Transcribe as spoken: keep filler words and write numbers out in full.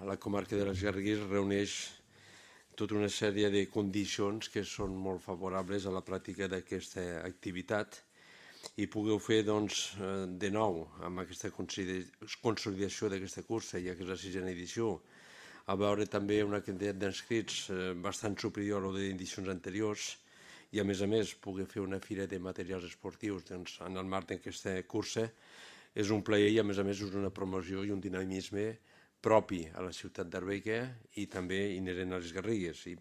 la comarca de les Garrigues reuneix tota una sèrie de condicions que són molt favorables a la pràctica d'aquesta activitat i pugueu fer doncs, de nou amb aquesta consolidació d'aquesta cursa, ja que és la sisena edició, a veure també una quantitat d'inscrits bastant superior a d'edicions anteriors i a més a més poder fer una fira de materials esportius doncs, en el marc d'aquesta cursa és un plaer i a més a més és una promoció i un dinamisme propi a la ciutat d'Arbeca i també inherent a les Garrigues. I